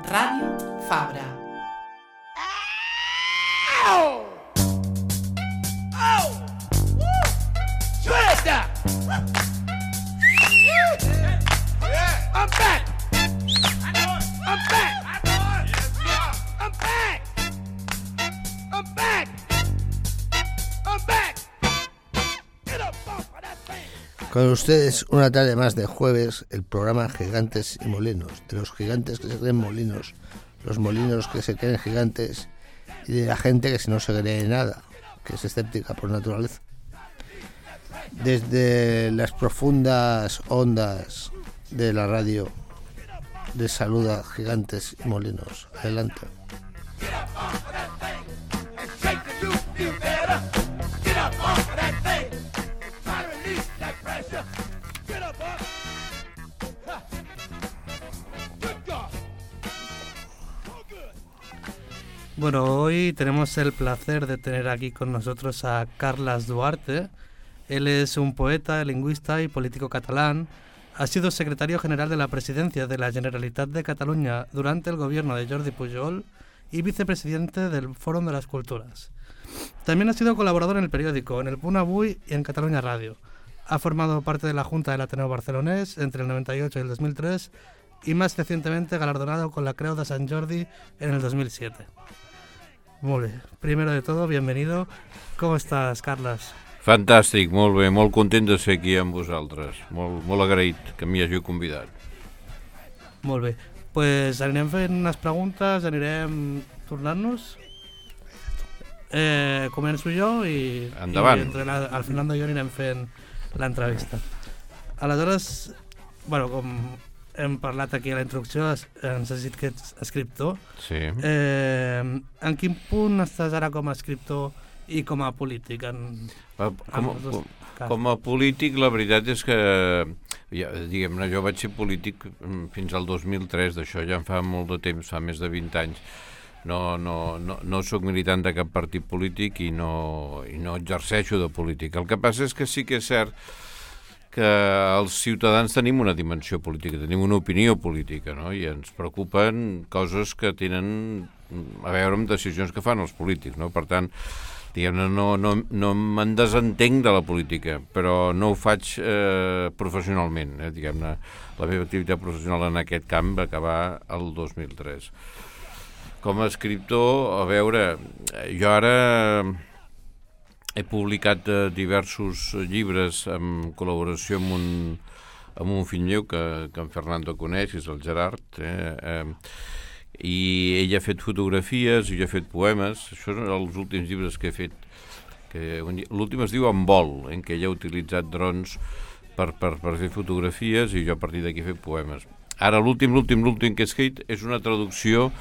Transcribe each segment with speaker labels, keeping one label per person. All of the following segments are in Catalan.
Speaker 1: Ràdio Fabra.
Speaker 2: Ow! Oh! Woo! Suelta! I'm back! I'm back! I'm back! I'm back! I'm back! Get up off of that thing!
Speaker 3: Con ustedes, una tarde más de jueves, el programa Gigantes y Molinos, de los gigantes que se creen molinos, los molinos que se creen gigantes y de la gente que no se cree nada, que es escéptica por naturaleza. Desde las profundas ondas de la radio, les saluda Gigantes y Molinos. Adelante.
Speaker 2: Get up off of that thing and shake the juice, you better. Get up off of that thing. Try to release that pressure. Get up off. Ha. Good God. Oh, good.
Speaker 4: Bueno, hoy tenemos el placer de tener aquí con nosotros a Carles Duarte. Él es un poeta, lingüista y político catalán. Ha sido secretario general de la Presidencia de la Generalitat de Cataluña durante el gobierno de Jordi Pujol y vicepresidente del Fòrum de las Culturas. También ha sido colaborador en el periódico, en el Punt Avui y en Catalunya Radio. Ha formado parte de la Junta del Ateneo Barcelonés entre el 98 y el 2003 y más recientemente galardonado con la Creu de Sant Jordi en el 2007. Molt bé. Primero de todo, bienvenido. ¿Cómo estás, Carles?
Speaker 5: Fantàstic, molt bé, molt content de ser aquí amb vosaltres, molt agraït que m'hi hàgiu convidat.
Speaker 4: Molt bé. Pues anirem fent unes preguntes, anirem tornant-nos. Començo jo i
Speaker 5: Endavant.
Speaker 4: entre el Fernando i jo anirem fent l'entrevista. Aleshores, bueno, com hem parlat aquí a la introducció, ens has dit que ets escriptor.
Speaker 5: Sí.
Speaker 4: En quin punt estàs ara com a escriptor i com a polític?
Speaker 5: Com a polític, la veritat és que, diguem-ne, jo vaig ser polític fins al 2003, d'això ja en fa molt de temps, fa més de 20 anys. No soc militant de cap partit polític i no exerceixo de polític. El que passa és que sí que és cert que els ciutadans tenim una dimensió política, tenim una opinió política, no? I ens preocupen coses que tenen a veure amb decisions que fan els polítics, no? Per tant, diguem-ne, no me'n desentenc de la política, però no ho faig professionalment. Diguem-ne, la meva activitat professional en aquest camp va acabar el 2003. Com a escriptor, a veure, jo ara he publicat diversos llibres en col·laboració amb un fill meu que en Fernando coneix, que és el Gerard, i ell ha fet fotografies i jo he fet poemes. Això són els últims llibres que he fet. L'últim es diu En vol, en què ell ha utilitzat drons per fer fotografies i jo a partir d'aquí he fet poemes. Ara l'últim que he escrit és una traducció,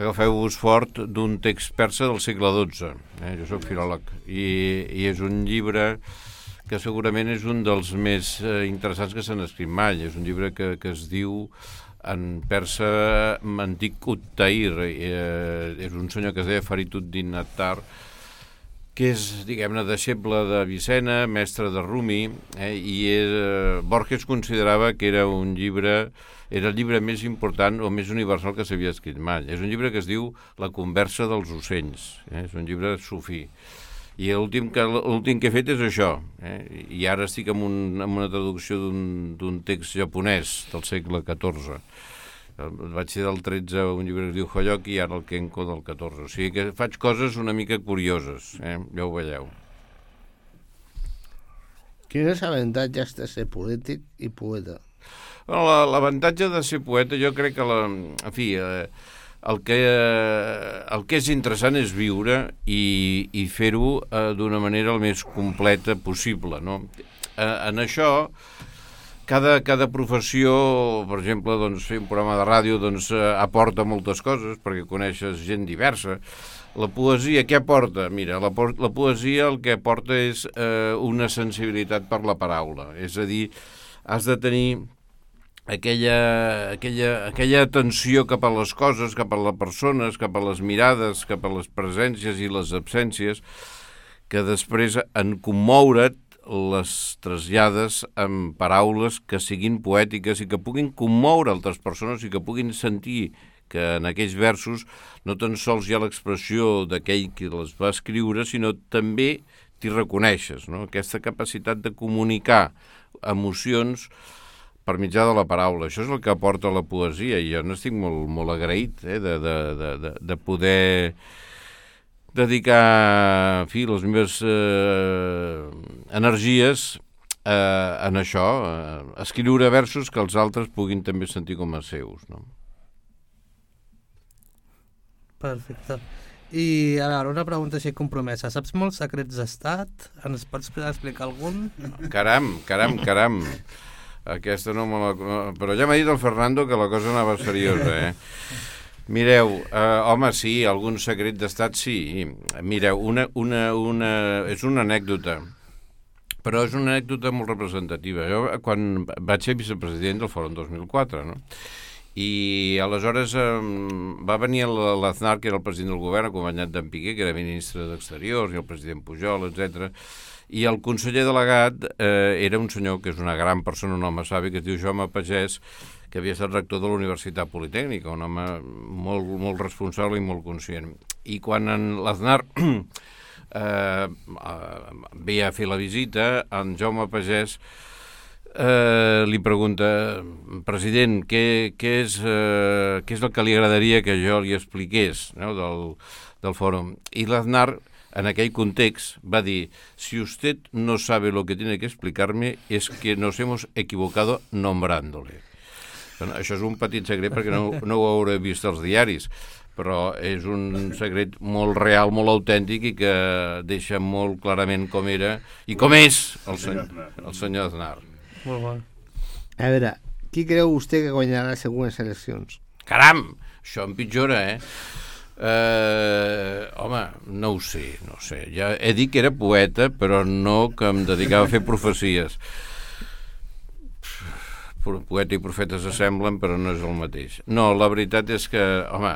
Speaker 5: agafeu-vos fort, d'un text persa del segle XII. Jo soc filòleg i és un llibre que segurament és un dels més interessants que s'han escrit mai. És un llibre que es diu en persa antic Uttair. És un senyor que es deia Fariduddin Attar, que és, diguem-ne, deixeble de Vicena, mestre de Rumi, i Borges considerava que era el llibre més important o més universal que s'havia escrit mai. És un llibre que es diu La conversa dels ocells, és un llibre sufí. I l'últim que he fet és això, i ara estic amb una traducció d'un text japonès del segle XIV. Vaig ser del 13 un llibre que es diu Hoyoki i ara el Kenko del 14. O sigui que faig coses una mica curioses, ja ho veieu.
Speaker 3: Quins avantatges de ser polític i poeta?
Speaker 5: L'avantatge de ser poeta, jo crec que el que és interessant és viure i fer-ho d'una manera el més completa possible, no? En això, cada professió, per exemple, doncs, fer un programa de ràdio aporta moltes coses perquè coneixes gent diversa. La poesia, què aporta? Mira, la poesia el que aporta és una sensibilitat per la paraula. És a dir, has de tenir aquella atenció cap a les coses, cap a les persones, cap a les mirades, cap a les presències i les absències, que després en commoure't les trasllades amb paraules que siguin poètiques i que puguin commoure altres persones i que puguin sentir que en aquells versos no tan sols hi ha l'expressió d'aquell que les va escriure, sinó també t'hi reconeixes, no? Aquesta capacitat de comunicar emocions per mitjà de la paraula. Això és el que aporta la poesia, i jo n'estic molt, molt agraït de poder dedicar, en fi, les meves energies en això, escriure versos que els altres puguin també sentir com a seus, no?
Speaker 4: Perfecte. I ara una pregunta així compromesa. Saps molts secrets d'estat? Ens pots explicar algun?
Speaker 5: Caram. Aquesta no me la... Però ja m'ha dit el Fernando que la cosa anava seriosa, Mireu, home, sí, algun secret d'estat sí. Mireu, és una anècdota, però és una anècdota molt representativa. Jo, quan vaig ser vicepresident del Fòrum 2004, no? I aleshores va venir l'Aznar, que era el president del govern, acompanyat d'en Piqué, que era ministre d'Exteriors, i el president Pujol, etc. I el conseller delegat era un senyor que és una gran persona, un home savi, que es diu Jaume Pagès, que havia estat rector de la Universitat Politècnica, un home molt, molt responsable i molt conscient. I quan l'Aznar ve a fer la visita, en Jaume Pagès li pregunta: president, què és el que li agradaria que jo li expliqués, no, del fòrum? I l'Aznar, en aquell context, va dir: si usted no sabe lo que tiene que explicarme es que nos hemos equivocado nombrándole. Bueno, això és un petit secret perquè no ho hauré vist als diaris, però és un secret molt real, molt autèntic, i que deixa molt clarament com era i com és el senyor Aznar.
Speaker 4: Molt bo.
Speaker 3: A veure, qui creu vostè que guanyarà les següents eleccions?
Speaker 5: Caram, això empitjora, home, no ho sé. Ja he dit que era poeta, però no que em dedicava a fer profecies. Poeta i profeta s'assemblen, però no és el mateix. No, la veritat és que, home,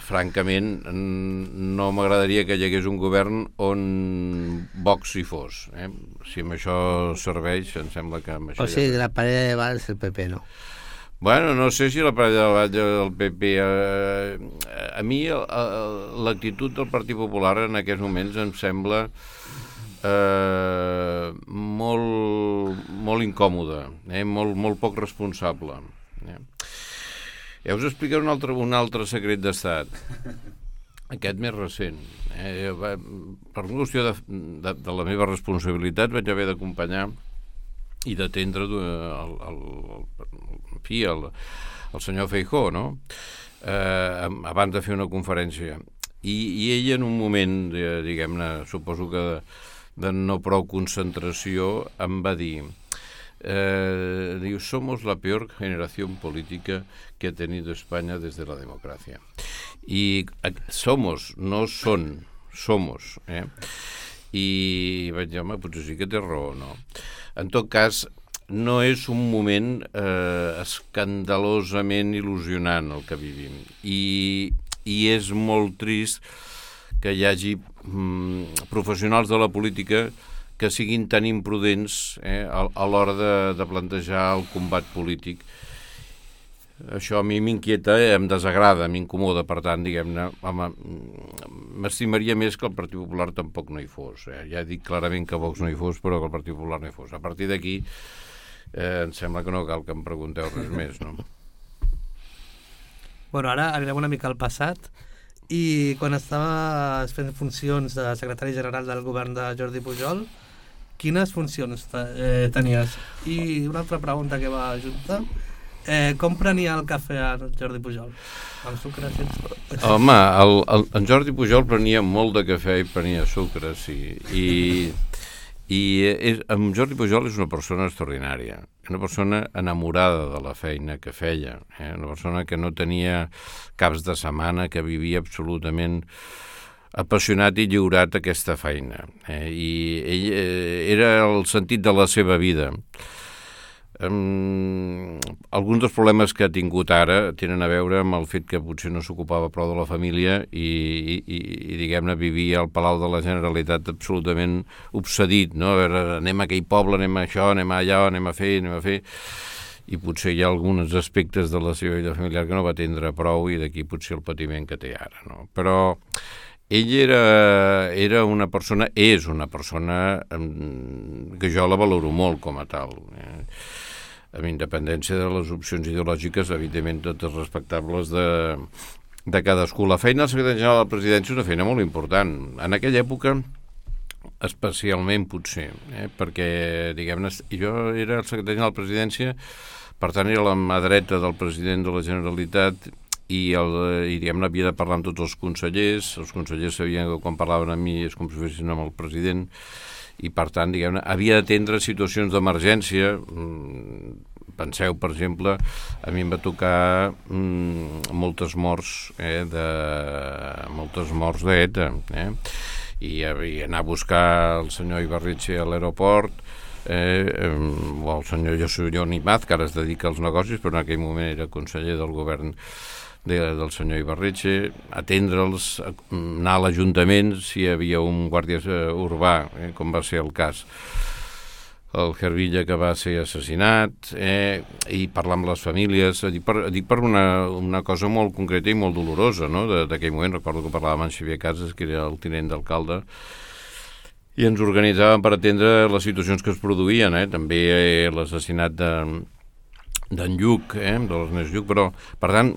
Speaker 5: francament, no m'agradaria que hi hagués un govern on Vox hi fos. Si amb això serveix, em sembla que amb això...
Speaker 3: O sigui, la parella de Valls és el PP, no?
Speaker 5: Bueno, no sé si la parella de Valls del PP... A mi l'actitud del Partit Popular en aquests moments em sembla molt incòmoda, molt poc responsable. Ja us explicaré un altre secret d'estat, aquest més recent. Per una qüestió de la meva responsabilitat vaig haver d'acompanyar i d'atendre el senyor Feijóo, no? Abans de fer una conferència. I ell, en un moment, diguem-ne, suposo que de no prou concentració, em va dir... somos la peor generación política que ha tenido España desde la democracia. Y somos, no son, somos. I vaig dir, home, potser sí que té raó, no? En tot cas, no és un moment escandalosament il·lusionant el que vivim. I és molt trist que hi hagi professionals de la política que siguin tan imprudents a l'hora de plantejar el combat polític. Això a mi m'inquieta, em desagrada, m'incomoda, per tant, diguem-ne, home, m'estimaria més que el Partit Popular tampoc no hi fos. Ja dic clarament que Vox no hi fos, però que el Partit Popular no hi fos. A partir d'aquí, em sembla que no cal que em pregunteu res més, no?
Speaker 4: Bueno, ara anirem una mica al passat. I quan estaves fent funcions de secretari general del govern de Jordi Pujol, quines funcions tenies? I una altra pregunta que va junta, com prenia el cafè a Jordi Pujol? Amb sucre, sense?
Speaker 5: Home, en Jordi Pujol prenia molt de cafè i prenia sucre, sí. En Jordi Pujol és una persona extraordinària, una persona enamorada de la feina que feia, una persona que no tenia caps de setmana, que vivia absolutament apassionat i lliurat a aquesta feina. I ell era el sentit de la seva vida. Alguns dels problemes que ha tingut ara tenen a veure amb el fet que potser no s'ocupava prou de la família i diguem-ne, vivia al Palau de la Generalitat absolutament obsedit, no? A veure, anem a aquell poble, anem a això, anem allà, anem a fer... i potser hi ha alguns aspectes de la seva vida familiar que no va atendre prou i d'aquí potser el patiment que té ara, no? Però ell era una persona, és una persona que jo la valoro molt com a tal, amb independència de les opcions ideològiques, evidentment totes respectables de cadascú. La feina del secretari general de la presidència és una feina molt important. En aquella època, especialment potser, perquè, diguem-ne, jo era el secretari general de la presidència, per tant era la mà dreta del president de la Generalitat i diguem-ne, havia de parlar amb tots els consellers sabien que quan parlaven amb mi és com si fessin amb el president, i per tant, diguem-ne, havia d'atendre situacions d'emergència. Penseu, per exemple, a mi em va tocar moltes morts d'ETA, i anar a buscar el senyor Ibarretxe a l'aeroport, o el senyor Joan Imaz, que ara es dedica als negocis, però en aquell moment era conseller del govern del senyor Ibarretxe, atendre'ls, anar a l'Ajuntament si hi havia un guàrdia urbà, com va ser el cas el Hervilla, que va ser assassinat, i parlar amb les famílies. Dic per una cosa molt concreta i molt dolorosa, no? D'aquell moment. Recordo que parlàvem amb Xavier Casas, que era el tinent d'alcalde, i ens organitzàvem per atendre les situacions que es produïen, també l'assassinat d'en Lluc, de l'Ernest Lluc, però, per tant,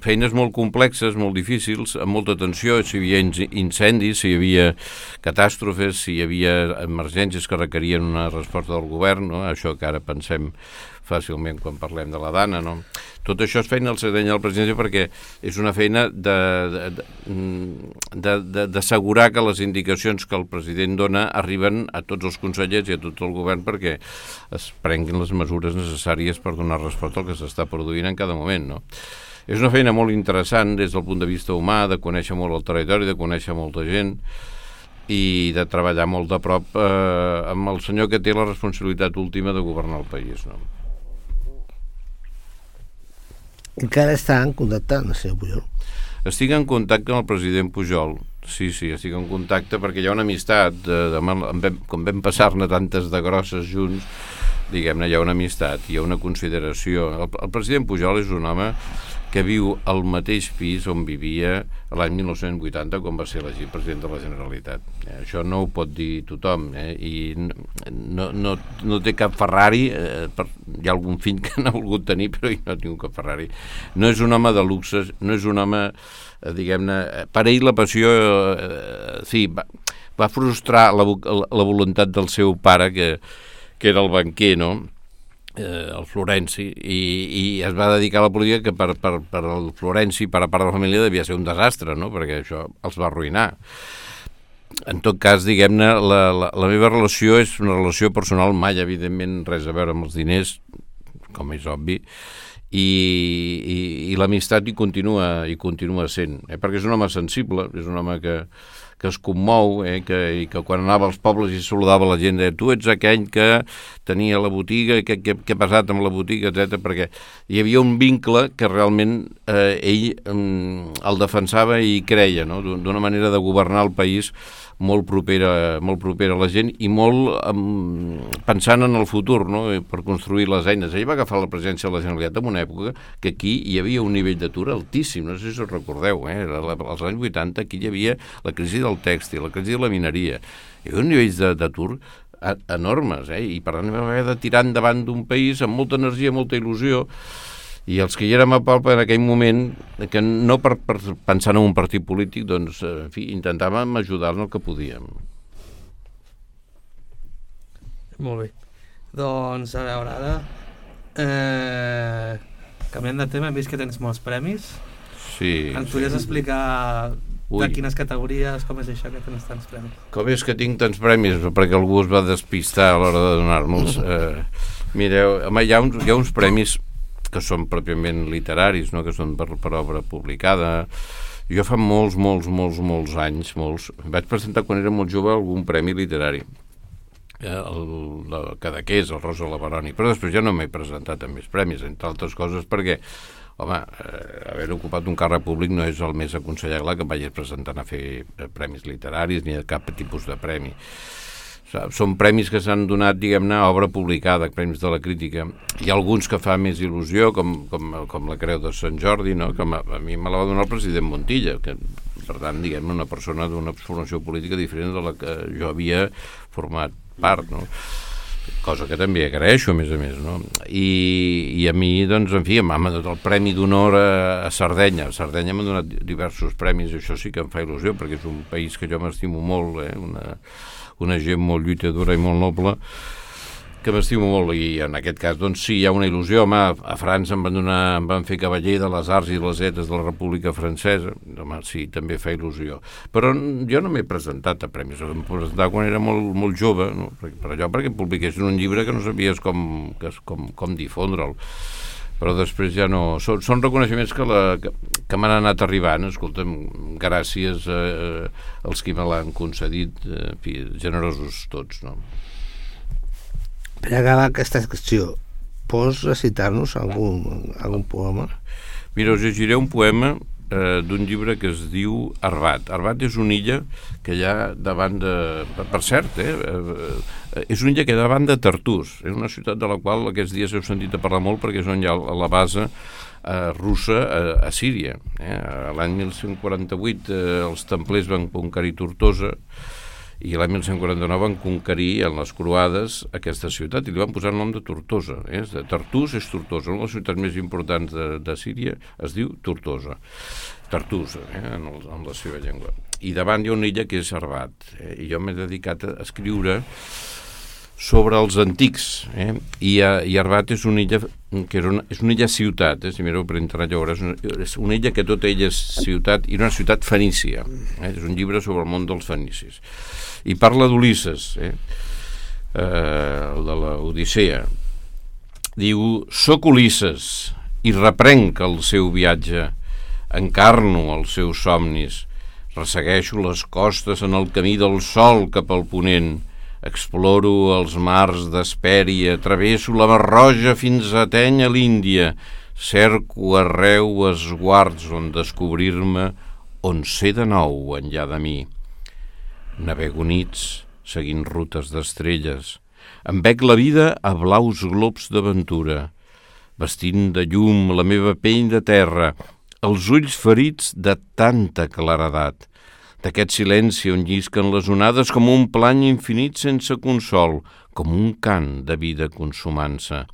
Speaker 5: feines molt complexes, molt difícils, amb molta tensió, si hi havia incendis, si hi havia catàstrofes, si hi havia emergències que requerien una resposta del govern, no? Això que ara pensem fàcilment quan parlem de la Dana, no? Tot això és feina del secretari general de la presidència perquè és una feina d'assegurar que les indicacions que el president dona arriben a tots els consellers i a tot el govern perquè es prenguin les mesures necessàries per donar resposta al que s'està produint en cada moment, no? És una feina molt interessant des del punt de vista humà, de conèixer molt el territori, de conèixer molta gent i de treballar molt de prop amb el senyor que té la responsabilitat última de governar el país, no?
Speaker 3: Encara està en contacte amb el senyor Pujol?
Speaker 5: Estic en contacte amb el president Pujol, sí, estic en contacte perquè hi ha una amistat, com vam passar-ne tantes de grosses junts, diguem-ne, hi ha una amistat, hi ha una consideració. El president Pujol és un home que viu al mateix pis on vivia l'any 1980 quan va ser elegit president de la Generalitat. Això no ho pot dir tothom, i no té cap Ferrari, hi ha algun fill que n'ha volgut tenir, però ell no ha tingut cap Ferrari. No és un home de luxe, no és un home, diguem-ne, per ell la passió, va frustrar la voluntat del seu pare, que era el banquer, no?, el Florenci, i es va dedicar a la política que per el Florenci, per a part de la família, devia ser un desastre, no?, perquè això els va arruïnar. En tot cas, diguem-ne, la meva relació és una relació personal, mai, evidentment, res a veure amb els diners, com és obvi, i l'amistat hi continua sent, perquè és un home sensible, és un home que es commou, i que quan anava als pobles i saludava la gent, tu ets aquell que tenia la botiga, què ha passat amb la botiga, etc. Perquè hi havia un vincle que realment ell el defensava i creia, no?, d'una manera de governar el país molt propera a la gent i molt pensant en el futur, no?, per construir les eines. Ell va agafar la presidència de la Generalitat en una època que aquí hi havia un nivell d'atur altíssim, no sé si us recordeu, als anys 80 aquí hi havia la crisi del tèxtil, la crisi de la mineria, hi havia un nivell d'atur enormes, i per tant vam haver de tirar endavant d'un país amb molta energia, molta il·lusió, i els que hi érem a Palpa en aquell moment, que no per pensar en un partit polític, doncs, en fi, intentàvem ajudar en el que podíem.
Speaker 4: Molt bé. Doncs, a veure, ara, canviant de tema, hem vist que tens molts premis.
Speaker 5: Sí.
Speaker 4: Ens podries explicar de quines categories, com és això que tens tants premis?
Speaker 5: Com és que tinc tants premis? Perquè algú es va despistar a l'hora de donar-me'ls. Mireu, home, hi ha uns premis que són pròpiament literaris, no?, que són per obra publicada. Jo fa molts anys, vaig presentar quan era molt jove algun premi literari, el Cadaqués, el Rosa Lavaroni, però després ja no m'he presentat amb més premis, entre altres coses perquè, home, haver ocupat un càrrec públic no és el més aconsellable que em vagis presentant a fer premis literaris ni de cap tipus de premi. Són premis que s'han donat, diguem-ne, a obra publicada, premis de la crítica. Hi ha alguns que fa més il·lusió, com la Creu de Sant Jordi, no? Que a mi me la va donar el president Montilla, que, per tant, diguem-ne, una persona d'una formació política diferent de la que jo havia format part, no? Cosa que també agraeixo, a més, no? I a mi, doncs, en fi, m'ha donat el Premi d'Honor a Sardenya. A Sardenya m'han donat diversos premis, i això sí que em fa il·lusió, perquè és un país que jo m'estimo molt, una gent molt lluitadora i molt noble, que m'estimo molt, i en aquest cas, doncs sí, hi ha una il·lusió. Home, a França em van fer cavaller de les arts i les lletres de la República Francesa. Home, sí, també fa il·lusió. Però jo no m'he presentat a premis, em presentar quan era molt jove, no? perquè publiquessin un llibre que no sabies com difondre'l. Però després ja no... Són reconeixements que m'han anat arribant, escolta'm, gràcies als qui me l'han concedit, en fi, generosos tots, no?
Speaker 3: Per acabar aquesta secció, pots recitar-nos algun poema?
Speaker 5: Mira, us llegiré un poema d'un llibre que es diu Arbat. Arbat és una illa que hi ha davant de... Per cert, és una illa que hi ha davant de Tartús. És una ciutat de la qual aquests dies heu sentit a parlar molt, perquè és on hi ha la base russa a Síria. L'any 1148 els templers van conquerir Tortosa, i l'any 1149 van conquerir en les croades aquesta ciutat i li van posar el nom de Tortosa. Tartús és Tortosa, una de les ciutats més importants de Síria es diu Tortosa. Tartús, en la seva llengua. I davant hi ha una illa que és Arbat, i jo m'he dedicat a escriure sobre els antics, i Arbat és una illa que és una illa ciutat, si mireu per internet ja veuràs, és una illa que tota ella és ciutat, i una ciutat fenícia. És un llibre sobre el món dels fenicis. I parla d'Ulisses, el de l'Odissea. Diu: «Soc Ulisses i reprenc el seu viatge, encarno els seus somnis, ressegueixo les costes en el camí del sol cap al ponent, exploro els mars d'Hespèria, travesso la Mar Roja fins a Atènia, l'Índia, cerco arreu esguards on descobrir-me, on ser de nou enllà de mi. Navego nits, seguint rutes d'estrelles, em bec la vida a blaus globs d'aventura, vestint de llum la meva pell de terra, els ulls ferits de tanta claredat, d'aquest silenci on llisquen les onades com un plany infinit sense consol, com un cant de vida consumant-se.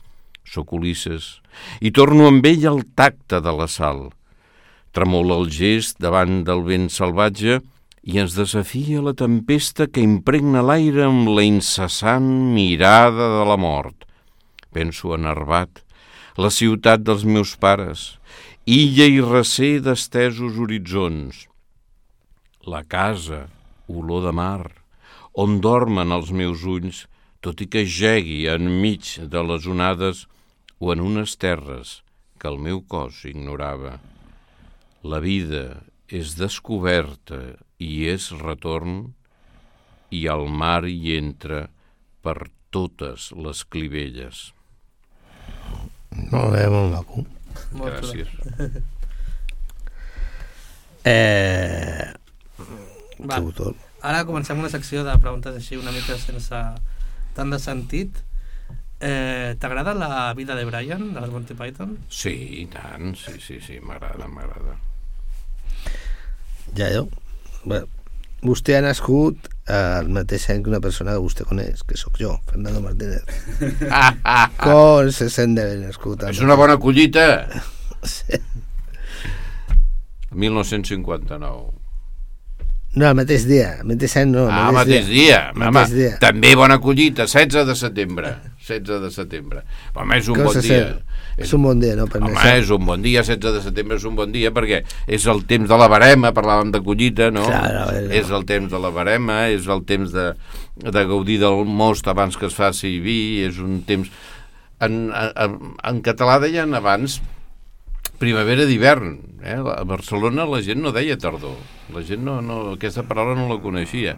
Speaker 5: Soc Ulisses, i torno amb ell al tacte de la sal. Tremola el gest davant del vent salvatge i ens desafia la tempesta que impregna l'aire amb la incessant mirada de la mort. Penso en Arbat, la ciutat dels meus pares, illa i recer d'estesos horitzons. La casa, olor de mar, on dormen els meus ulls, tot i que gegui enmig de les onades o en unes terres que el meu cos ignorava. La vida és descoberta i és retorn, i el mar hi entra per totes les clivelles».
Speaker 3: Molt bé, molt maco.
Speaker 5: Gràcies.
Speaker 4: Ara comencem una secció de preguntes així una mica sense tant de sentit. T'agrada la vida de Brian, de les Monty Python?
Speaker 5: Sí, i tant, sí, m'agrada.
Speaker 3: Ja jo. Bueno, vostè ha nascut al mateix any que una persona que vostè coneix, que sóc jo, Fernando Martínez. Com se sent d'haver nascut?
Speaker 5: És una bona collita!
Speaker 3: Sí.
Speaker 5: 1959.
Speaker 3: No, el mateix dia, el mateix any no.
Speaker 5: El mateix dia. També bona collita, 16 de setembre. 16 de setembre. Home, és un bon dia.
Speaker 3: És un bon dia, no?
Speaker 5: Home, és un bon dia, 16 de setembre és un bon dia, perquè és el temps de la verema, parlàvem de collita, no?
Speaker 3: Claro.
Speaker 5: És el temps de la verema, és el temps de gaudir del most abans que es faci vi, és un temps... En català deien abans primavera d'hivern. A Barcelona la gent no deia tardor. La gent no aquesta paraula no la coneixia.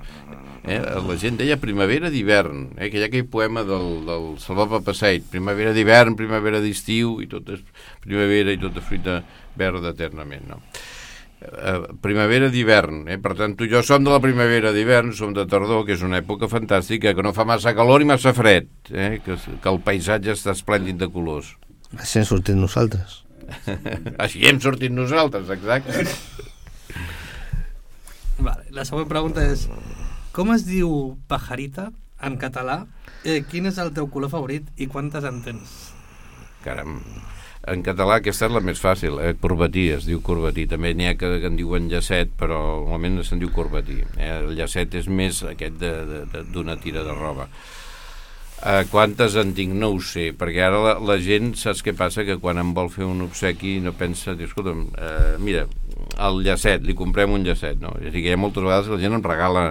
Speaker 5: La gent deia primavera d'hivern, que hi ha aquell poema del Salvador Passeig, primavera d'hivern, primavera d'estiu, i tot és primavera i tot és fruita verda eternament, no? primavera d'hivern, per tant tu i jo som de la primavera d'hivern, som de tardor, que és una època fantàstica, que no fa massa calor i massa fred, que el paisatge està esplèndid de colors.
Speaker 3: Així hem sortit nosaltres.
Speaker 5: Així hem sortit nosaltres, exacte.
Speaker 4: Vale, la següent pregunta és: com es diu pajarita en català? Quin és el teu color favorit i quantes en tens?
Speaker 5: Caram, en català aquesta és la més fàcil, corbatí, es diu corbatí. També n'hi ha que en diuen llacet, però normalment se'n diu corbatí. El llacet és més aquest d'una tira de roba. Quantes en tinc? No ho sé, perquè ara la gent, saps què passa? Que quan em vol fer un obsequi no pensa, diu, escolta'm, mira, el llacet, li comprem un llacet, no? És a dir, que hi ha moltes vegades que la gent em regala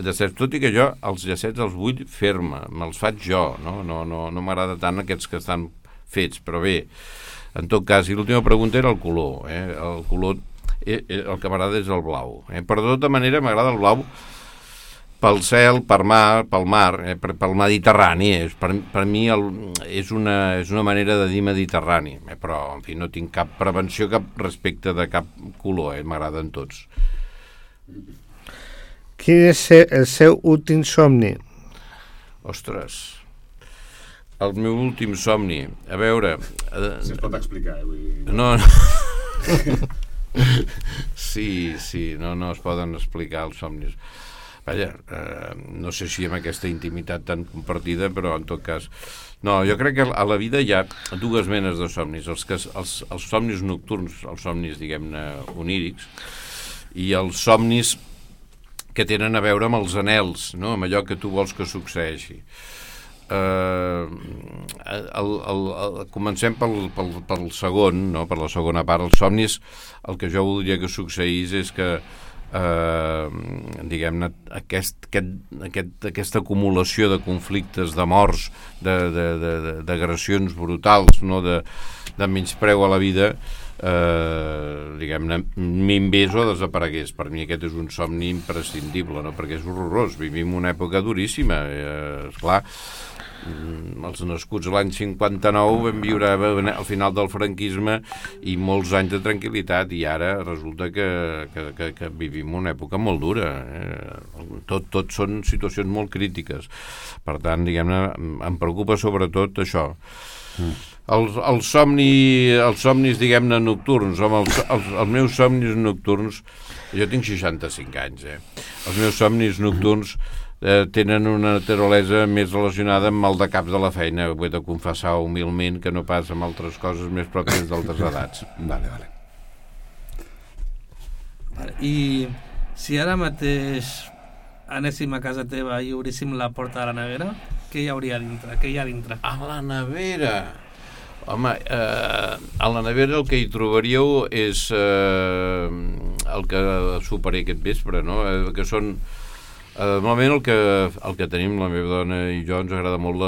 Speaker 5: llacets, tot i que jo els llacets els vull fer-me, me'ls faig jo, no m'agrada tant aquests que estan fets, però bé, en tot cas, i l'última pregunta era el color, el color, el que m'agrada és el blau, però de tota manera m'agrada el blau pel cel, pel mar, pel Mediterrani, per mi és una manera de dir Mediterrani, però en fi, no tinc cap prevenció respecte de cap color, m'agraden tots.
Speaker 3: Quin és el seu últim somni?
Speaker 5: Ostres, el meu últim somni, a veure...
Speaker 1: Si es pot explicar,
Speaker 5: No. Sí, no es poden explicar els somnis. Vaja, no sé si amb aquesta intimitat tan compartida, però en tot cas... No, jo crec que a la vida hi ha dues menes de somnis, els somnis nocturns, els somnis, diguem-ne, onírics, i els somnis que tenen a veure amb els anhels, no? Amb allò que tu vols que succeeixi. Comencem pel segon, no? Per la segona part. Els somnis, el que jo voldria que succeís és que diguem-ne, aquesta acumulació de conflictes, de morts, d'agressions brutals, no? De menyspreu a la vida, diguem-ne, minvés o desaparegués. Per mi aquest és un somni imprescindible, no? Perquè és horrorós, vivim una època duríssima, esclar. Els nascuts l'any 59 vam viure al final del franquisme i molts anys de tranquil·litat, i ara resulta que vivim una època molt dura, tot són situacions molt crítiques. Per tant, diguem-ne, em preocupa sobretot això. Els somnis, diguem-ne, nocturns, els meus somnis nocturns, jo tinc 65 anys, els meus somnis nocturns tenen una naturalesa més relacionada amb el de caps de la feina, ho he de confessar humilment, que no pas amb altres coses més pròpies d'altres edats.
Speaker 1: Vale.
Speaker 4: I si ara mateix anéssim a casa teva i obríssim la porta de la nevera, què hi hauria dintre? Què hi ha dintre?
Speaker 5: A la nevera? Home, a la nevera el que hi trobaríeu és el que soparé aquest vespre, no? Que són... Normalment el que tenim, la meva dona i jo, ens agrada molt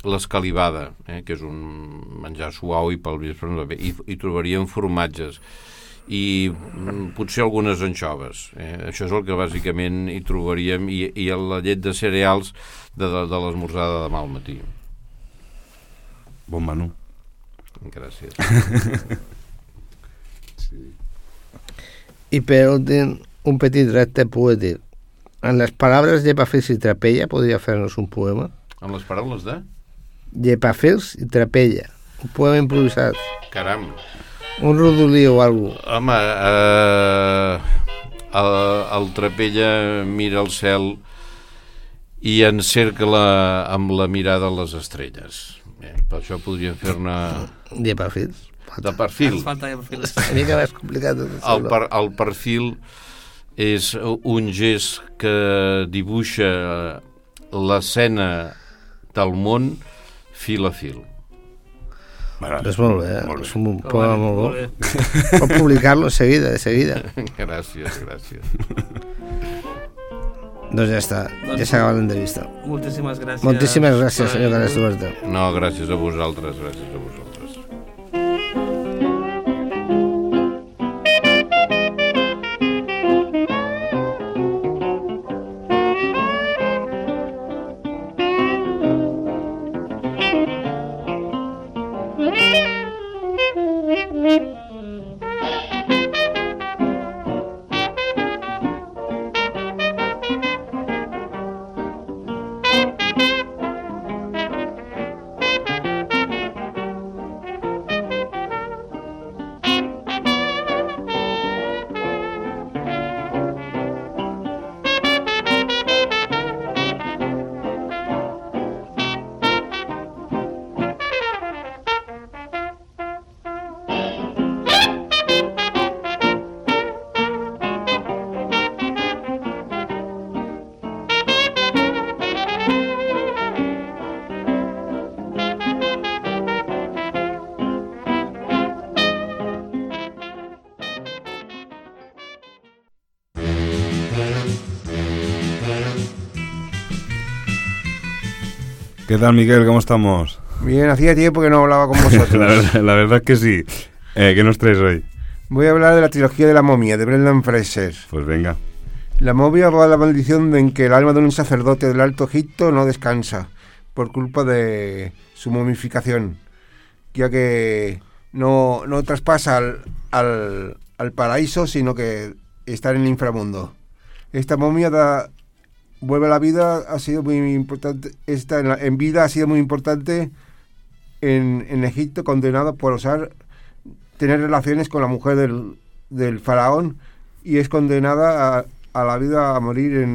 Speaker 5: l'escalivada, que és un menjar suau i pel vespre no, i trobaríem formatges i potser algunes anxoves, això és el que bàsicament hi trobaríem, i la llet de cereals de l'esmorzar de demà al matí.
Speaker 1: Bon menú.
Speaker 5: Gràcies.
Speaker 1: Sí.
Speaker 3: Y per últim, un petit repte poètic. En les paraules Llepafils i Trapella podria fer-nos un poema?
Speaker 5: Amb les paraules de?
Speaker 3: Llepafils i Trapella. Un poema improvisat.
Speaker 5: Caram.
Speaker 3: Un rodolí o alguna cosa.
Speaker 5: Home, el Trapella mira el cel i encercla amb la mirada les estrelles. Per això podríem fer-ne...
Speaker 3: Llepafils.
Speaker 5: De perfil.
Speaker 4: Ens falta Llepafils.
Speaker 3: Una mica més complicat.
Speaker 5: El perfil és un gest que dibuixa l'escena del món fil a fil.
Speaker 3: És molt bé, és un poema molt bo. Pot publicar-lo de seguida.
Speaker 5: Gràcies.
Speaker 3: Doncs ja està, ja s'ha acabat l'entrevista.
Speaker 4: Moltíssimes gràcies.
Speaker 3: Moltíssimes gràcies, senyor Carles Duarte.
Speaker 5: No, gràcies a vosaltres,
Speaker 1: ¿Qué tal, Miguel? ¿Cómo estamos?
Speaker 6: Bien, hacía tiempo que no hablaba con vosotros.
Speaker 1: la verdad es que sí. ¿Qué nos traes hoy?
Speaker 6: Voy a hablar de la trilogía de la momia, de Brendan Fraser.
Speaker 1: Pues venga.
Speaker 6: La momia va a la maldición en que el alma de un sacerdote del Alto Egipto no descansa por culpa de su momificación, ya que no traspasa al paraíso, sino que está en el inframundo. Esta momia vuelve a la vida, ha sido muy importante. En vida ha sido muy importante en Egipto, condenado por tener relaciones con la mujer del faraón, y es condenada a la vida, a morir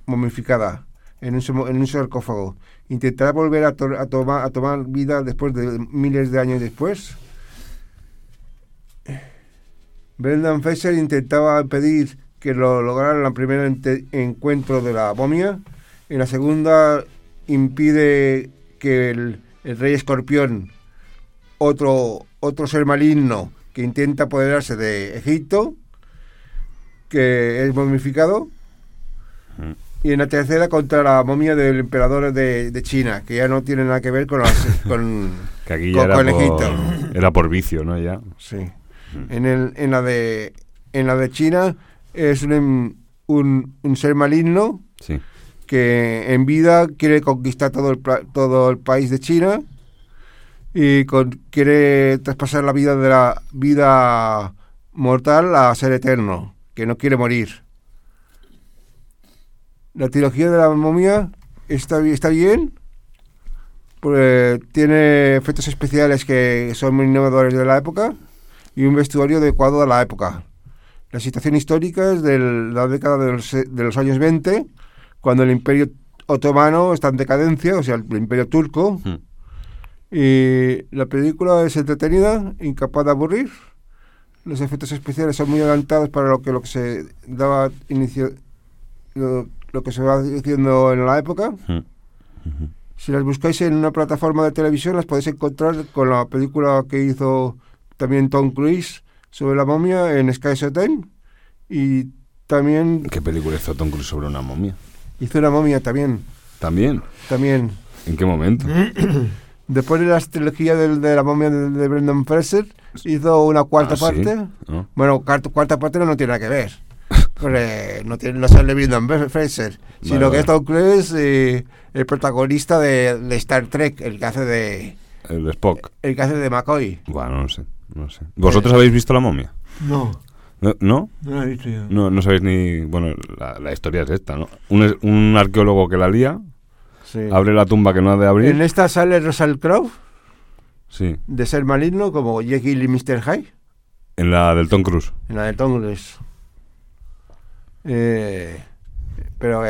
Speaker 6: momificada en un sarcófago. Intentará volver a tomar vida después de miles de años después. Brendan Fraser intentaba impedir que lo lograra en el primer encuentro de la momia. En la segunda impide que el rey escorpión, otro ser maligno que intenta apoderarse de Egipto, que es momificado. Y en la tercera contra la momia del emperador de China, que ya no tiene nada que ver con
Speaker 1: que aquí ya
Speaker 6: con Egipto.
Speaker 1: Era por vicio, ¿no? Ya.
Speaker 6: Sí. En la de China es un ser maligno,
Speaker 1: sí,
Speaker 6: que en vida quiere conquistar todo el país de China y quiere traspasar la vida de la vida mortal a ser eterno, que no quiere morir. La trilogía de la momia está bien, pues tiene efectos especiales que son muy innovadores de la época y un vestuario adecuado a la época. La situación histórica es de la década de los años 20, cuando el Imperio Otomano está en decadencia, o sea, el Imperio Turco. Y la película es entretenida, incapaz de aburrir. Los efectos especiales son muy adelantados para lo que se daba inicio, lo que se va diciendo en la época. Si las buscáis en una plataforma de televisión, las podéis encontrar con la película que hizo también Tom Cruise sobre la momia en Sky Showtime. Y también...
Speaker 1: ¿Qué película hizo Tom Cruise sobre una momia?
Speaker 6: Hizo una momia también.
Speaker 1: ¿También?
Speaker 6: También.
Speaker 1: ¿En qué momento?
Speaker 6: Después de la trilogía de la momia de Brendan Fraser, hizo una cuarta parte.
Speaker 1: ¿Sí? ¿Oh?
Speaker 6: Bueno, cuarta parte no tiene nada que ver. Porque no sale Brendan Fraser, sino que es Tom Cruise, el protagonista de Star Trek, el que hace de...
Speaker 1: El de Spock.
Speaker 6: El que hace de McCoy.
Speaker 1: Bueno, no sé. ¿Vosotros habéis visto la momia?
Speaker 7: No.
Speaker 1: ¿No?
Speaker 7: No la he visto yo.
Speaker 1: No sabéis ni... Bueno, la historia es esta, ¿no? Un arqueólogo que la lía,
Speaker 6: Sí.
Speaker 1: abre la tumba que no ha de abrir.
Speaker 6: En esta sale Russell Crowe,
Speaker 1: Sí.
Speaker 6: de ser maligno, como Jekyll y Mr. Hyde.
Speaker 1: En la del Tom Cruise.
Speaker 6: En la de Tom Cruise. Pero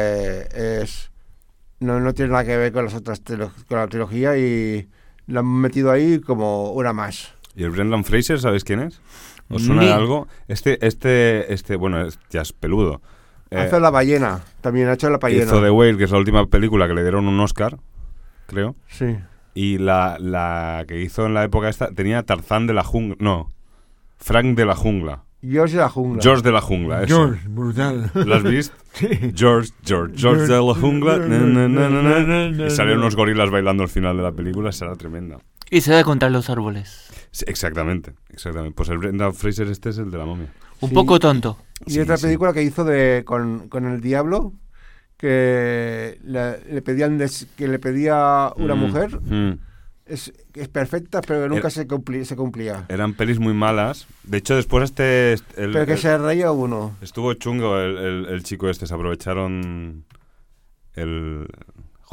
Speaker 6: no tiene nada que ver con las otras con la trilogía, y la han metido ahí como una más.
Speaker 1: ¿Y el Brendan Fraser, sabéis quién es? ¿Os suena de algo? Bueno, ya es peludo.
Speaker 6: Hace La ballena, también ha hecho La ballena.
Speaker 1: Hizo The Whale, que es la última película que le dieron un Oscar, creo.
Speaker 6: Sí.
Speaker 1: Y la que hizo en la época esta tenía Tarzán de la jungla. No, Frank de la jungla.
Speaker 6: George de la jungla.
Speaker 1: George de la jungla, eso.
Speaker 7: George, brutal.
Speaker 1: ¿Lo has visto?
Speaker 7: Sí.
Speaker 1: George de la jungla. Y salieron unos gorilas bailando al final de la película, será tremenda.
Speaker 8: Y se da contra los árboles.
Speaker 1: Sí, exactamente. Pues el Brendan Fraser es el de la momia.
Speaker 8: Un poco tonto.
Speaker 6: Y otra película que hizo con el diablo, que le pedía una mujer. Es perfecta, pero que nunca se cumplía.
Speaker 1: Eran pelis muy malas. De hecho, después
Speaker 6: pero que se reía uno.
Speaker 1: Estuvo chungo el chico este. Se aprovecharon...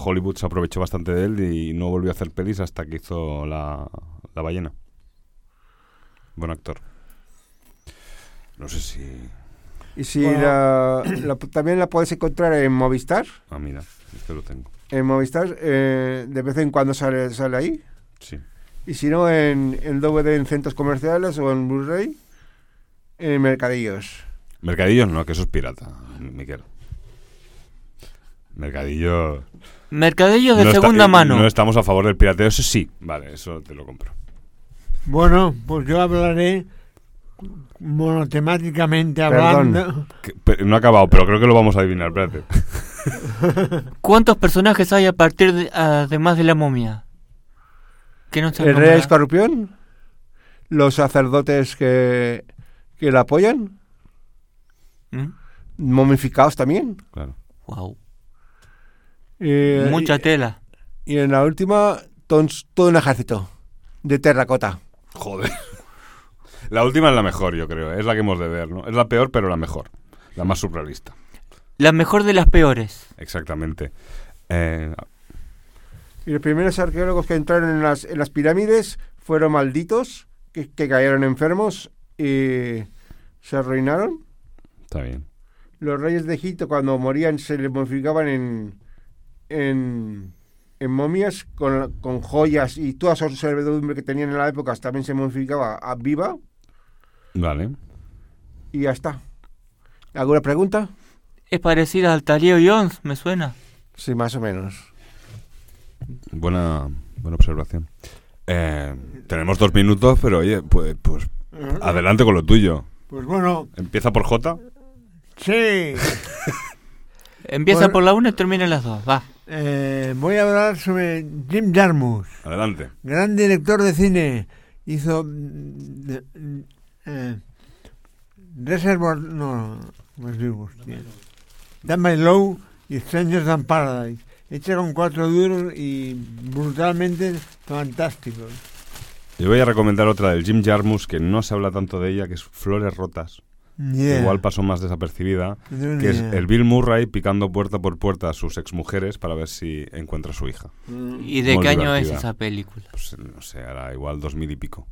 Speaker 1: Hollywood se aprovechó bastante de él y no volvió a hacer pelis hasta que hizo La ballena. Buen actor. No sé si...
Speaker 6: Y si también la puedes encontrar en Movistar.
Speaker 1: Ah, mira, este lo tengo.
Speaker 6: En Movistar, de vez en cuando sale ahí.
Speaker 1: Sí.
Speaker 6: Y si no, en DVD en centros comerciales o en Blu-ray, en mercadillos.
Speaker 1: Mercadillos no, que eso es pirata, Miquel. Mercadillo
Speaker 8: De
Speaker 1: no
Speaker 8: segunda mano.
Speaker 1: No estamos a favor del pirateo, eso sí. Vale, eso te lo compro.
Speaker 7: Bueno, pues yo hablaré monotemáticamente hablando.
Speaker 1: No ha acabado, pero creo que lo vamos a adivinar, espérate.
Speaker 8: ¿Cuántos personajes hay a partir de, además de la momia? Que no se
Speaker 6: El rey
Speaker 8: nombra.
Speaker 6: escorpión, los sacerdotes que la apoyan,
Speaker 8: ¿Mm?
Speaker 6: momificados también.
Speaker 1: Claro.
Speaker 8: Wow.
Speaker 6: Y,
Speaker 8: Mucha tela.
Speaker 6: y en la última, todo un ejército de terracota.
Speaker 1: Joder. La última es la mejor, yo creo. Es la que hemos de ver, ¿no? Es la peor, pero la mejor. La más surrealista.
Speaker 8: La mejor de las peores.
Speaker 1: Exactamente.
Speaker 6: Y los primeros arqueólogos que entraron en las pirámides fueron malditos, que cayeron enfermos y se arruinaron.
Speaker 1: Está bien.
Speaker 6: Los reyes de Egipto, cuando morían, se les momificaban en momias con joyas y toda su servidumbre que tenían en la época también se momificaba a viva.
Speaker 1: Vale.
Speaker 6: Y ya está. ¿Alguna pregunta?
Speaker 8: Es parecida al Talio Jones, me suena.
Speaker 6: Sí, más o menos.
Speaker 1: Buena observación. Tenemos 2 minutos, pero oye, pues adelante con lo tuyo.
Speaker 7: Pues bueno,
Speaker 1: Empieza por J.
Speaker 7: sí.
Speaker 8: Empieza
Speaker 7: Bueno.
Speaker 8: por la 1 y termina en las 2. Va.
Speaker 7: Voy a hablar sobre Jim Jarmusch,
Speaker 1: Adelante.
Speaker 7: gran director de cine. Hizo Reservoir, no os digo, hostia. Dan by Low y Strangers Than Paradise. Hecha con 4 duros y brutalmente fantásticos.
Speaker 1: Yo voy a recomendar otra del Jim Jarmusch, que no se habla tanto de ella, que es Flores Rotas.
Speaker 7: Yeah.
Speaker 1: Igual pasó más desapercibida,
Speaker 7: No tengo ni
Speaker 1: que es
Speaker 7: idea.
Speaker 1: el Bill Murray picando puerta por puerta a sus exmujeres para ver si encuentra a su hija.
Speaker 8: ¿Y de
Speaker 1: Muy
Speaker 8: qué año es
Speaker 1: divertida.
Speaker 8: esa película?
Speaker 1: Pues no sé, era igual 2000 y pico.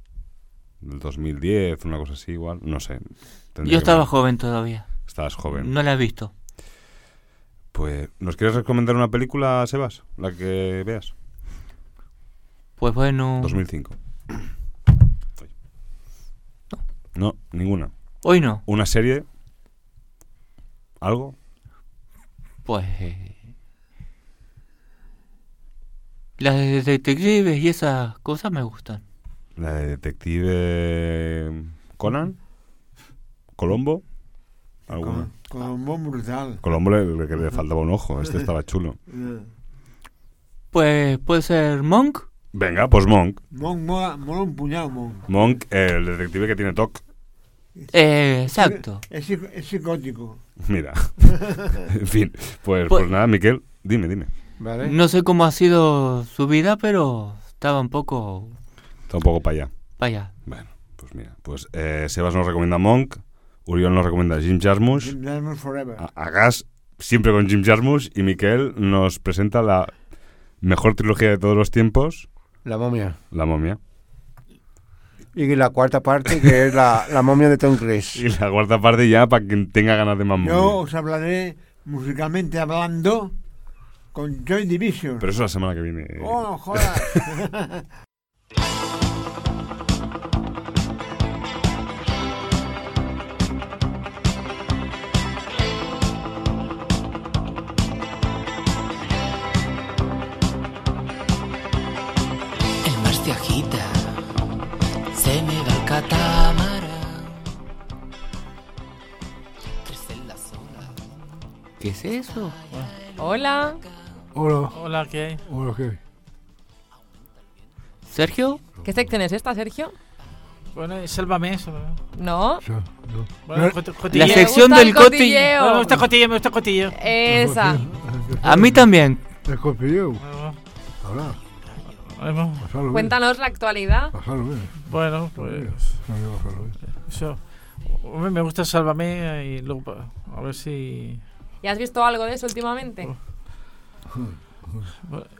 Speaker 1: Del 2010, una cosa así igual, no sé. Tendría
Speaker 8: Yo
Speaker 1: que
Speaker 8: estaba
Speaker 1: ver.
Speaker 8: joven todavía.
Speaker 1: Estabas joven.
Speaker 8: No la he visto.
Speaker 1: Pues, ¿nos quieres recomendar una película, Sebas? La que veas.
Speaker 8: Pues bueno,
Speaker 1: 2005. No, ninguna.
Speaker 8: hoy no.
Speaker 1: ¿Una serie? ¿Algo?
Speaker 8: Pues las de detectives y esas cosas me gustan.
Speaker 1: ¿La de Detective Conan? ¿Colombo? ¿Alguna?
Speaker 7: Con un buen brutal.
Speaker 1: Colombo le faltaba un ojo, este estaba chulo.
Speaker 8: Pues puede ser Monk.
Speaker 1: Venga, pues Monk.
Speaker 7: Monk mola un puñado, Monk.
Speaker 1: Monk, el detective que tiene TOC.
Speaker 8: Exacto.
Speaker 7: Es psicótico.
Speaker 1: Mira. En fin, pues
Speaker 8: Pues-
Speaker 1: nada, Miquel, dime.
Speaker 6: ¿Vale?
Speaker 8: No sé cómo ha sido su vida, pero estaba un poco
Speaker 1: Está un poco para allá.
Speaker 8: para allá.
Speaker 1: Bueno, pues mira, pues Sebas nos recomienda Monk, Uriol nos recomienda Jim Jarmusch,
Speaker 7: Jim Jarmusch Forever.
Speaker 1: a Gas siempre con Jim Jarmusch y Miquel nos presenta la mejor trilogía de todos los tiempos,
Speaker 6: La momia.
Speaker 1: La momia.
Speaker 6: Y la cuarta parte, que es la momia de Tom Cruise.
Speaker 1: Y la cuarta parte ya para quien tenga ganas de más
Speaker 7: Yo
Speaker 1: momia.
Speaker 7: os hablaré musicalmente hablando con Joy Division.
Speaker 1: Pero eso la semana que viene.
Speaker 7: ¡Oh, joder!
Speaker 9: El mar se agita, se me va el catamarán. Crecen las olas.
Speaker 8: ¿Qué es eso?
Speaker 10: Hola.
Speaker 7: Hola.
Speaker 4: Hola, ¿qué hay?
Speaker 7: Hola, ¿qué?
Speaker 8: ¿Sergio?
Speaker 10: ¿Qué sección es esta, Sergio?
Speaker 4: Bueno, sálvame.
Speaker 10: No.
Speaker 4: Bueno,
Speaker 8: La
Speaker 10: Me
Speaker 8: sección
Speaker 10: gusta
Speaker 8: del
Speaker 10: el
Speaker 8: cotilleo.
Speaker 4: Bueno, me gusta cotillo, me gusta cotillo.
Speaker 10: Esa.
Speaker 8: A mí también.
Speaker 7: El cotilleo.
Speaker 4: Bueno,
Speaker 7: Habla.
Speaker 4: bueno,
Speaker 7: Pasalo
Speaker 10: Cuéntanos la actualidad.
Speaker 7: Pasalo bien.
Speaker 4: bueno, pues eso. Hombre, me gusta Sálvame y luego a ver si...
Speaker 10: ¿Y has visto algo de eso últimamente?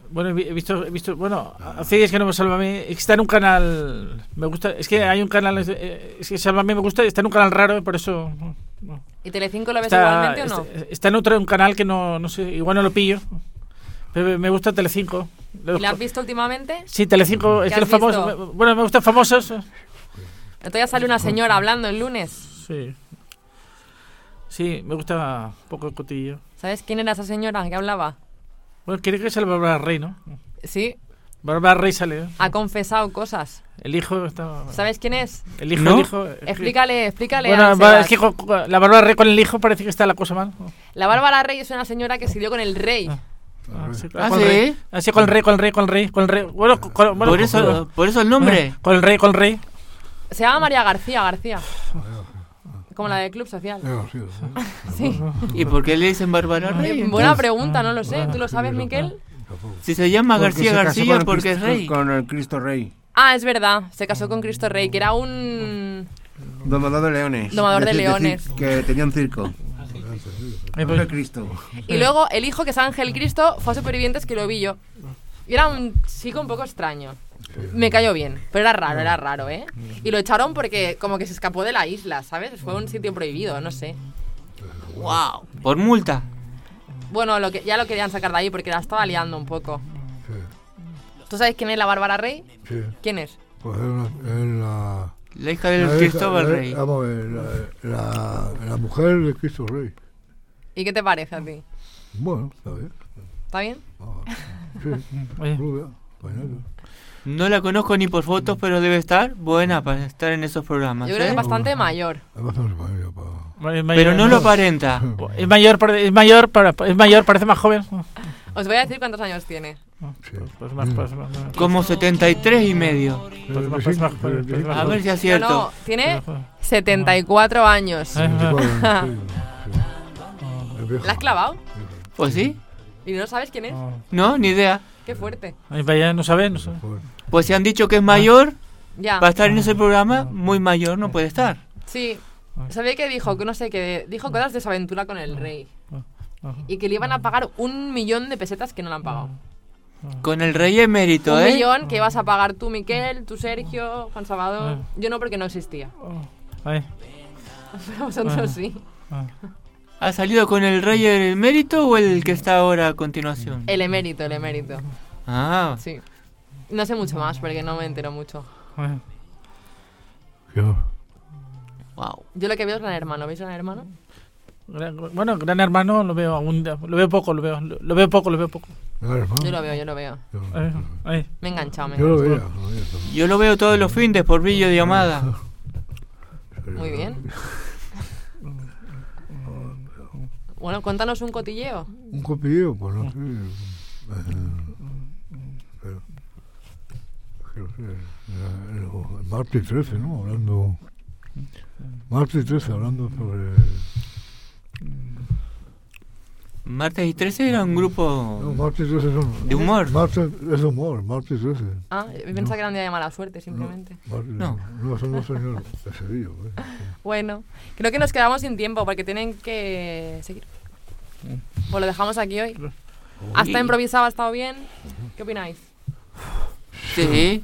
Speaker 4: Bueno, he visto, bueno, hace días que no me Sálvame, está en un canal, me gusta, es que hay un canal, es que Sálvame me gusta, está en un canal raro, por eso... no.
Speaker 10: ¿Y Telecinco lo ves
Speaker 4: Está,
Speaker 10: igualmente o no?
Speaker 4: está en otro un canal que no sé, igual no lo pillo, pero me gusta Telecinco.
Speaker 10: ¿Y la has visto últimamente?
Speaker 4: Sí, Telecinco, es
Speaker 10: ¿Qué
Speaker 4: que
Speaker 10: has
Speaker 4: los famosos,
Speaker 10: visto?
Speaker 4: bueno, me gustan famosos.
Speaker 10: Entonces ya sale una señora hablando el lunes.
Speaker 4: Sí. Sí, me gusta un poco el cotillo.
Speaker 10: ¿Sabes quién era esa señora que hablaba?
Speaker 4: Bueno, quiere que se le Bárbara Rey, ¿no?
Speaker 10: Sí.
Speaker 11: Bárbara Rey sale, ¿eh?
Speaker 10: Ha confesado cosas.
Speaker 11: El hijo está...
Speaker 10: ¿Sabes quién es?
Speaker 11: El hijo,
Speaker 8: ¿No?
Speaker 11: el hijo...
Speaker 10: Explícale
Speaker 11: Bueno,
Speaker 10: a
Speaker 11: es
Speaker 10: Sebas.
Speaker 11: que la Bárbara Rey con el hijo parece que está la cosa mal.
Speaker 10: La Bárbara Rey es una señora que se dio con el rey.
Speaker 11: Sí,
Speaker 8: Ah,
Speaker 11: con el
Speaker 8: ¿sí?
Speaker 11: rey. Así con el rey. Bueno, bueno,
Speaker 8: Por eso el nombre.
Speaker 11: Con el rey.
Speaker 10: Se llama María García. Como la del Club Social. Sí.
Speaker 8: ¿Y por qué le dicen Bárbara Rey?
Speaker 10: Buena pregunta, no lo sé. ¿Tú lo sabes, Miquel?
Speaker 8: Si se llama
Speaker 6: Porque
Speaker 8: García
Speaker 6: se casó
Speaker 8: García
Speaker 6: con el
Speaker 8: porque es
Speaker 6: Cristo-
Speaker 8: rey.
Speaker 6: Con el Cristo Rey.
Speaker 10: Ah, es verdad. Se casó con Cristo Rey, que era un...
Speaker 6: Domador de leones.
Speaker 10: Domador de
Speaker 6: Decir-
Speaker 10: leones.
Speaker 6: que tenía un circo.
Speaker 11: Pues-
Speaker 6: El Cristo.
Speaker 10: Y luego el hijo, que es Ángel Cristo, fue a Supervivientes, que lo vi yo. Y era un chico un poco extraño. Me cayó bien, pero era raro, ¿eh? Y lo echaron porque como que se escapó de la isla, ¿sabes? Fue un sitio prohibido, no sé.
Speaker 8: Wow. Por multa.
Speaker 10: Bueno, ya lo querían sacar de ahí porque la estaba liando un poco. ¿Tú sabes quién es la Bárbara Rey?
Speaker 12: Sí.
Speaker 10: ¿Quién es?
Speaker 12: Pues es la...
Speaker 8: La hija del Cristóbal Rey.
Speaker 12: Vamos a ver, la mujer de Cristo Rey.
Speaker 10: ¿Y qué te parece a ti?
Speaker 12: Bueno, está bien.
Speaker 10: ¿Está bien?
Speaker 12: Sí, rubia, bailando.
Speaker 8: No la conozco ni por fotos, pero debe estar buena para estar en esos programas.
Speaker 10: Yo creo que
Speaker 8: ¿eh?
Speaker 10: es bastante mayor.
Speaker 12: Es bastante mayor para...
Speaker 8: Pero no lo aparenta.
Speaker 11: Es mayor, parece más joven.
Speaker 10: Os voy a decir cuántos años tiene.
Speaker 11: Pues más.
Speaker 8: Como 73 y medio.
Speaker 11: Pues más.
Speaker 8: A ver si es cierto.
Speaker 10: No, tiene 74 años. ¿La has clavado?
Speaker 8: Pues sí.
Speaker 10: ¿Y no sabes quién es?
Speaker 8: No, ni idea.
Speaker 10: Qué fuerte.
Speaker 11: Ay, vaya, no sabe.
Speaker 8: Pues si han dicho que es mayor,
Speaker 10: Ya.
Speaker 8: para estar en ese programa, muy mayor no puede estar.
Speaker 10: Sí. Sabía que dijo, que no sé, que dijo cosas de su aventura con el rey. Y que le iban a pagar 1 millón de pesetas que no le han pagado.
Speaker 8: Con el rey emérito,
Speaker 10: 1
Speaker 8: ¿eh?
Speaker 10: millón que ibas a pagar tú, Miquel, tú, Sergio, Juan Salvador. Yo no, porque no existía.
Speaker 11: Ay.
Speaker 10: Pero vosotros sí.
Speaker 8: ¿Ha salido con el rey emérito o el que está ahora a continuación?
Speaker 10: El emérito.
Speaker 8: Ah.
Speaker 10: Sí. No sé mucho más porque no me entero mucho.
Speaker 8: Wow.
Speaker 10: Yo lo que veo es Gran Hermano. ¿Veis Gran Hermano?
Speaker 11: Bueno, Gran Hermano lo veo poco.
Speaker 10: Yo lo veo. Me he enganchado.
Speaker 8: Yo lo veo todos los fines por videollamada.
Speaker 10: Muy bien. Bueno, cuéntanos un cotilleo.
Speaker 12: Un cotilleo, pues no sé. El martes 13, ¿no? Martes 13, hablando sobre...
Speaker 8: Martes y 13 era un grupo
Speaker 12: No, martes 13 son...
Speaker 8: de humor.
Speaker 12: Martes es humor, martes 13.
Speaker 10: Ah, pensaba que era un día de mala suerte, simplemente.
Speaker 8: No.
Speaker 12: No, son los señores de Sevilla.
Speaker 10: Bueno, creo que nos quedamos sin tiempo porque tienen que seguir. Pues lo dejamos aquí hoy. Hasta improvisado, ha estado bien. ¿Qué opináis?
Speaker 8: Sí.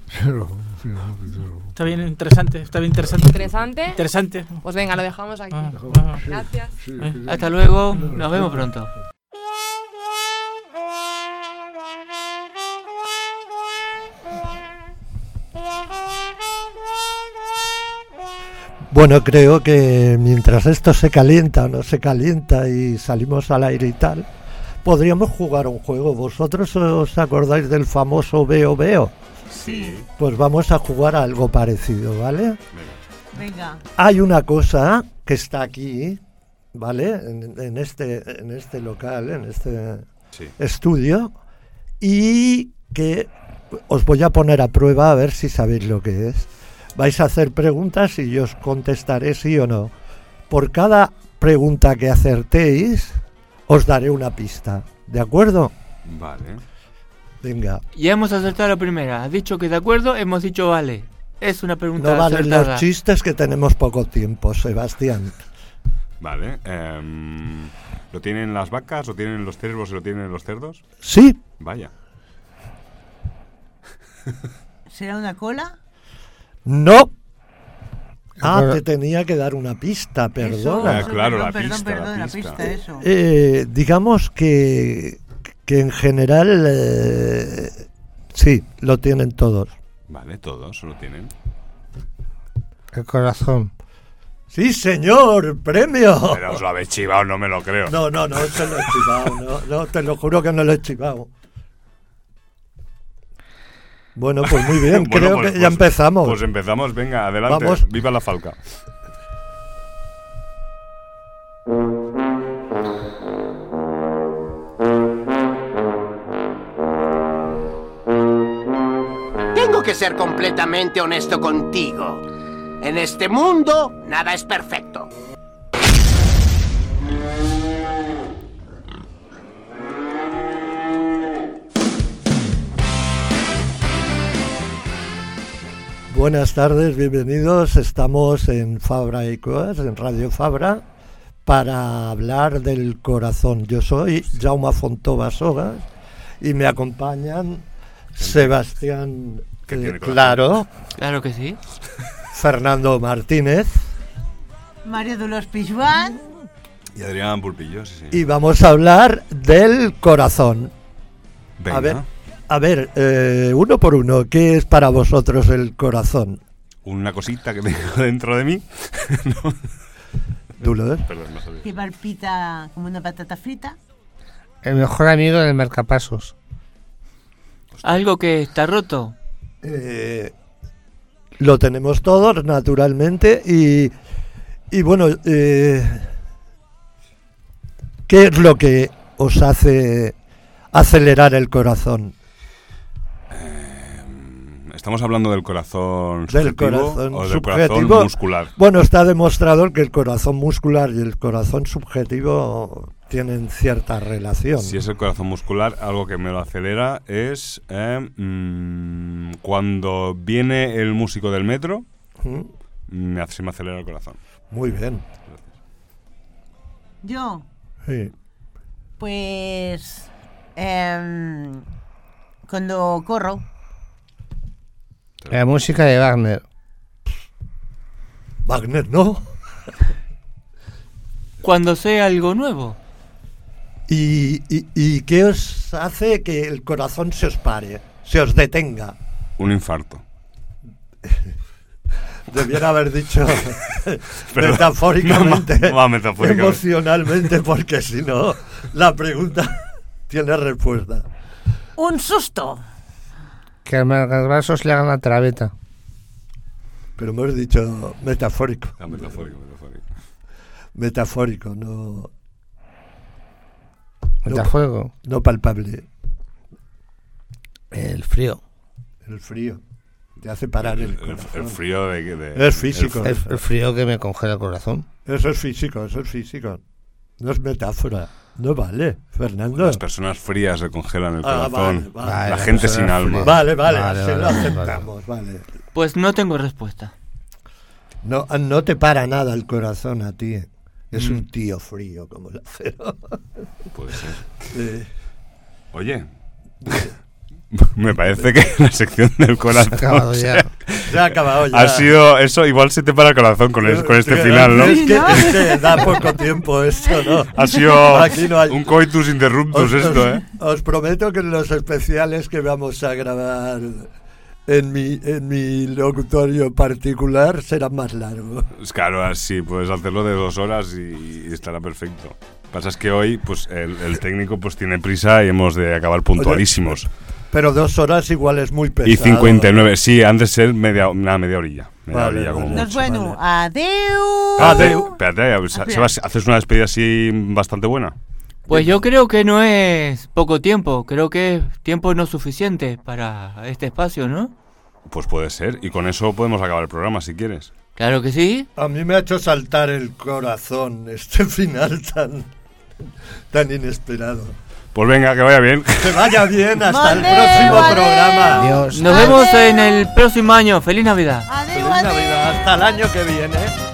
Speaker 11: Está bien interesante.
Speaker 10: ¿Interesante? Pues venga, lo dejamos aquí. Gracias.
Speaker 8: Hasta luego. Nos vemos pronto.
Speaker 3: Bueno, creo que mientras esto se calienta o no se calienta y salimos al aire y tal, podríamos jugar un juego. ¿Vosotros os acordáis del famoso Veo Veo?
Speaker 1: Sí.
Speaker 3: Pues vamos a jugar a algo parecido, ¿vale?
Speaker 13: Venga.
Speaker 3: Hay una cosa que está aquí, ¿vale? En este local, en este estudio, y que os voy a poner a prueba a ver si sabéis lo que es. Vais a hacer preguntas y yo os contestaré sí o no. Por cada pregunta que acertéis, os daré una pista. ¿De acuerdo?
Speaker 1: Vale.
Speaker 3: Venga.
Speaker 8: Ya hemos acertado la primera. Has dicho que de acuerdo, hemos dicho vale. Es una pregunta
Speaker 3: No valen
Speaker 8: acertada.
Speaker 3: los chistes, que tenemos poco tiempo, Sebastián.
Speaker 1: Vale. ¿Lo tienen las vacas, lo tienen los ciervos y lo tienen los cerdos?
Speaker 3: Sí.
Speaker 1: Vaya.
Speaker 13: ¿Será una cola?
Speaker 3: No. Te tenía que dar una pista, perdona.
Speaker 13: Eso,
Speaker 1: claro,
Speaker 13: perdón, la pista, eso.
Speaker 3: Digamos que en general sí, lo tienen todos.
Speaker 1: Vale, todos lo tienen.
Speaker 3: El corazón. Sí, señor, premio.
Speaker 1: Pero os lo habéis chivado, no me lo creo.
Speaker 3: No, te lo he chivado, no, te lo juro que no lo he chivado.
Speaker 14: Bueno, pues muy bien,
Speaker 1: Bueno,
Speaker 14: creo
Speaker 1: pues-
Speaker 14: que ya
Speaker 1: pues-
Speaker 14: empezamos.
Speaker 1: Pues empezamos, venga, adelante.
Speaker 14: Vamos.
Speaker 1: Viva la Falca.
Speaker 15: Tengo que ser completamente honesto contigo. En este mundo, nada es perfecto.
Speaker 14: Buenas tardes, bienvenidos. Estamos en Fabra y Coas, en Radio Fabra, para hablar del corazón. Yo soy Jaume Fontova Sogas y me acompañan Sebastián Claro.
Speaker 8: Claro que sí.
Speaker 14: Fernando Martínez.
Speaker 13: Mario Dolors Pijuan.
Speaker 1: Y Adrián Pulpillo, sí, sí.
Speaker 14: Y vamos a hablar del corazón.
Speaker 1: Venga.
Speaker 14: A ver, uno por uno, ¿qué es para vosotros el corazón?
Speaker 1: Una cosita que tengo dentro de mí. No.
Speaker 14: ¿Tú lo ves?
Speaker 1: Perdón, no sabía.
Speaker 13: Que palpita como una patata frita.
Speaker 3: El mejor amigo del marcapasos.
Speaker 8: Algo que está roto.
Speaker 14: Lo tenemos todos, naturalmente, y bueno, ¿qué es lo que os hace acelerar el corazón?
Speaker 1: ¿Estamos hablando del corazón
Speaker 14: Del
Speaker 1: subjetivo
Speaker 14: corazón
Speaker 1: o del
Speaker 14: subjetivo.
Speaker 1: corazón muscular?
Speaker 14: Bueno, está demostrado que el corazón muscular y el corazón subjetivo tienen cierta relación.
Speaker 1: Si es el corazón muscular, algo que me lo acelera es cuando viene el músico del metro, se me acelera el corazón.
Speaker 14: Muy bien.
Speaker 13: Yo,
Speaker 14: Sí.
Speaker 13: pues, cuando corro,
Speaker 3: La música de Wagner.
Speaker 14: Wagner, ¿no?
Speaker 8: Cuando sé algo nuevo.
Speaker 14: ¿Y qué os hace que el corazón se os pare, se os detenga?
Speaker 1: Un infarto.
Speaker 14: Debiera haber dicho
Speaker 1: Pero
Speaker 14: metafóricamente,
Speaker 1: metafóricamente.
Speaker 14: emocionalmente, porque si no, la pregunta tiene respuesta.
Speaker 13: un susto.
Speaker 3: Que al marcapasos le hagan la traveta.
Speaker 14: Pero hemos dicho metafórico.
Speaker 1: Ah, metafórico.
Speaker 14: Metafórico, no...
Speaker 3: Metafuego.
Speaker 14: No palpable.
Speaker 3: El frío.
Speaker 14: El frío. Te hace parar el corazón.
Speaker 1: El frío de
Speaker 14: Es físico.
Speaker 3: El frío que me congela el corazón.
Speaker 14: Eso es físico, eso es físico. No es metáfora. No vale, Fernando.
Speaker 1: Las personas frías se congelan el
Speaker 14: Ah,
Speaker 1: corazón.
Speaker 14: vale, vale.
Speaker 1: La gente sin alma.
Speaker 14: Vale,
Speaker 3: Vale,
Speaker 14: así
Speaker 3: vale,
Speaker 14: lo
Speaker 3: vale.
Speaker 14: aceptamos, vale.
Speaker 8: Pues no tengo respuesta.
Speaker 14: No te para nada el corazón a ti. Es un tío frío como el acero.
Speaker 1: Puede ser.
Speaker 14: Sí.
Speaker 1: Oye, me parece que la sección del corazón
Speaker 3: Se ha acabado ya.
Speaker 14: Se ha acabado ya.
Speaker 1: ha sido eso, igual se te para el corazón con este final, ¿no?
Speaker 14: Es que da poco tiempo esto, ¿no?
Speaker 1: Ha sido
Speaker 14: Aquí no hay-
Speaker 1: un coitus interruptus esto, ¿eh?
Speaker 14: Os prometo que en los especiales que vamos a grabar en mi locutorio particular serán más largos.
Speaker 1: Claro, así puedes hacerlo de 2 horas y estará perfecto. Pasa es que hoy, pues el técnico pues tiene prisa y hemos de acabar puntualísimos.
Speaker 14: Pero 2 horas igual es muy pesado.
Speaker 1: Y 59, sí, han de ser media orilla. Media
Speaker 14: Vale,
Speaker 1: orilla como
Speaker 14: vale.
Speaker 13: No es
Speaker 1: mucho.
Speaker 13: bueno. Adeu.
Speaker 1: Espérate, Sebas, ¿haces una despedida así bastante buena?
Speaker 8: Pues yo creo que no es poco tiempo, creo que es tiempo no suficiente para este espacio, ¿no?
Speaker 1: Pues puede ser, y con eso podemos acabar el programa si quieres.
Speaker 8: Claro que sí.
Speaker 14: A mí me ha hecho saltar el corazón este final tan inesperado.
Speaker 1: Pues venga, que vaya bien.
Speaker 14: Que vaya bien, hasta el
Speaker 13: Vale,
Speaker 14: próximo
Speaker 13: vale.
Speaker 14: programa.
Speaker 3: Adiós.
Speaker 8: Nos vemos en el próximo año. ¡Feliz Navidad!
Speaker 13: Adeu,
Speaker 14: Feliz Navidad, hasta el año que viene.